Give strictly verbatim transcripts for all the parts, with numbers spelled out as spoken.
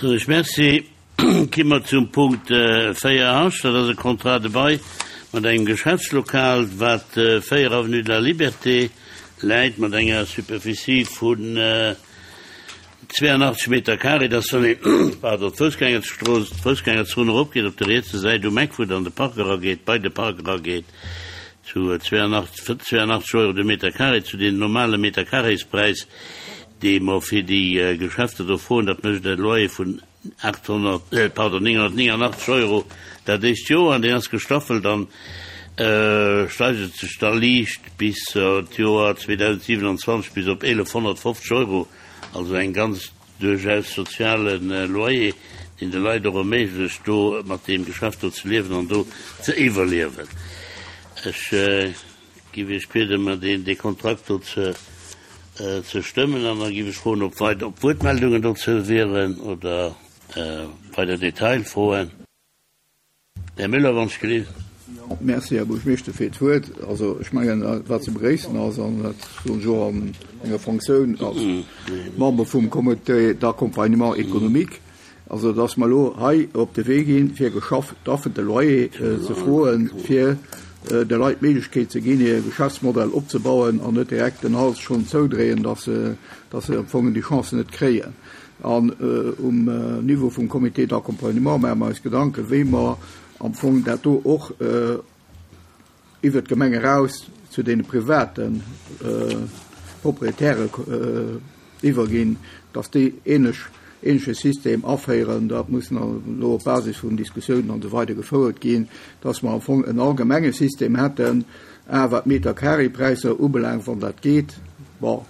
Soen ech Merci. Ki mer zum Punkt véier H, dat ass e Contrat de bail mat engem Geschäftslokal, wat véier avenue de la Liberté läit, mat enger Superficie vun zweeanachtzeg Meter carré. Dat ass, wann een, pardon, d'Foussgängerstrooss, d'Foussgängerzon eropgeet, op der rietser Säit um Eck, wou et an de Park erageet, bei de Park erageet, zu zweeanachtzeg Euro de Meter carré, zu deem normale Meter-carréspräis, dee mer fir déi Geschäfter do froen. Dat mécht e Loyer vun achthonnert, pardon, nénghonnertnéngannachtzeg Euro dat éischt Joer, an deen ass gestaffelt an steigert sech da liicht bis d'Joer zweedausendsiewenanzwanzeg bis op eelefhonnertfofzeg Euro, also eng ganz duerchaus soziale Loyer, deen de Leit och erméiglecht, do mat deem Geschäft do ze liewen an do ze iwwerliewen. Ech giff Iech bieden, mer deen dee Kontrakt do ze ze stëmmen, an da giff ech froen, ob weider ob Wuertmeldungen dozou wieren oder weider Detailfroen. Här Müller, wann ech gelift. Jo, merci, Här Buergermeeschter, fir d'Wuert. Also ech mengen, wat ze begréissen ass, an dat soen ech och an menger Fonctioun als Member vum Comité d'accompagnement économique, also dass mer elo hei op de Wee ginn, fir gestaffelde Loyer ze froen, fir de Leit d'Méiglechkeet ze ginn, hir Geschäftsmodell opzebauen an net direkt den Hals schonn zoudréien, dass se, dass se am Fong déi Chance net kréien. An um Niveau vum Comité d'accompagnement maache mer eis Gedanken, wéi mer am Fong dat do och iwwert d'Gemeng eraus zu deene private Proprietäre iwwerginn, dass déi ähnlech, ähnleche System aféieren. Dat muss elo op Basis vun Diskussiounen an esou weider gefouert ginn, dass mer am Fong en allgemenge System hätten, a wat d'Meter-carré-Präisser ubelaangt, wann dat geet. Bon,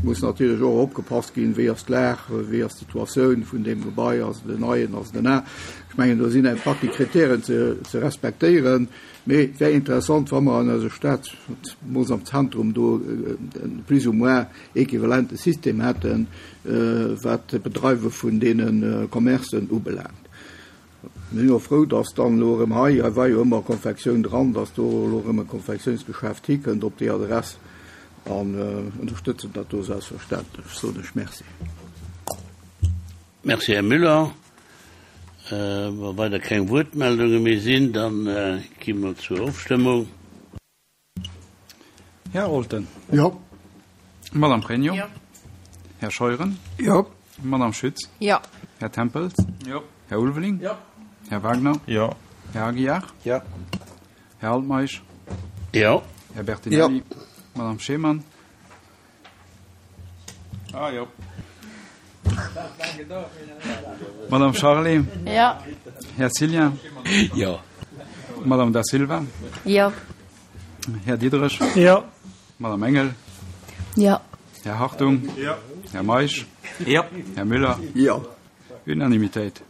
muss natierlech och opgepasst ginn, wéi ass d'Lag, wéi ass d'Situatioun vun deem Gebai, ass et en neien, ass et en al. Ech mengen, do sinn eng Partie Kritären ze, ze respektéieren. Mee et wär interessant, wa mer an eiser Stad, zemools am Zentrum, do e plus ou moins equivalente System hätten, wat d'Bedreiwe vun deene Commercen ubelaangt. Mir sinn och frou, dass dann elo erëm hei, hei war jo ëmmer Konfektioun dran, dass do elo erëm e Konfektiounsgeschäft hikënnt op déi Adress an ënnerstëtzen dat do selbstverständlech. Soen ech Merci. Merci, Här Müller. Wa weider keng Wuertmeldunge méi sinn, da gi mer zur Ofstëmmung. Här Olten. Jo. Madame Pregno. Jo. Här Scheuren. Jo. Madame Schütz. Jo. Här Tempels. Jo. Här Ulveling. Jo. Här Wagner. Jo. Här Aguiar. Jo. Här Altmeisch. Jo. Här Bertinelli. Jo. Madame Schemann. Ah, jo. Madame Charlé. Jo. Här Cillien. Jo. Madame Da Silva. Jo. Här Diderich. Jo. Madame Engel. Jo. Här Hartung. Jo. Här Meisch. Jo. Här Müller. Jo. Unanimitéit.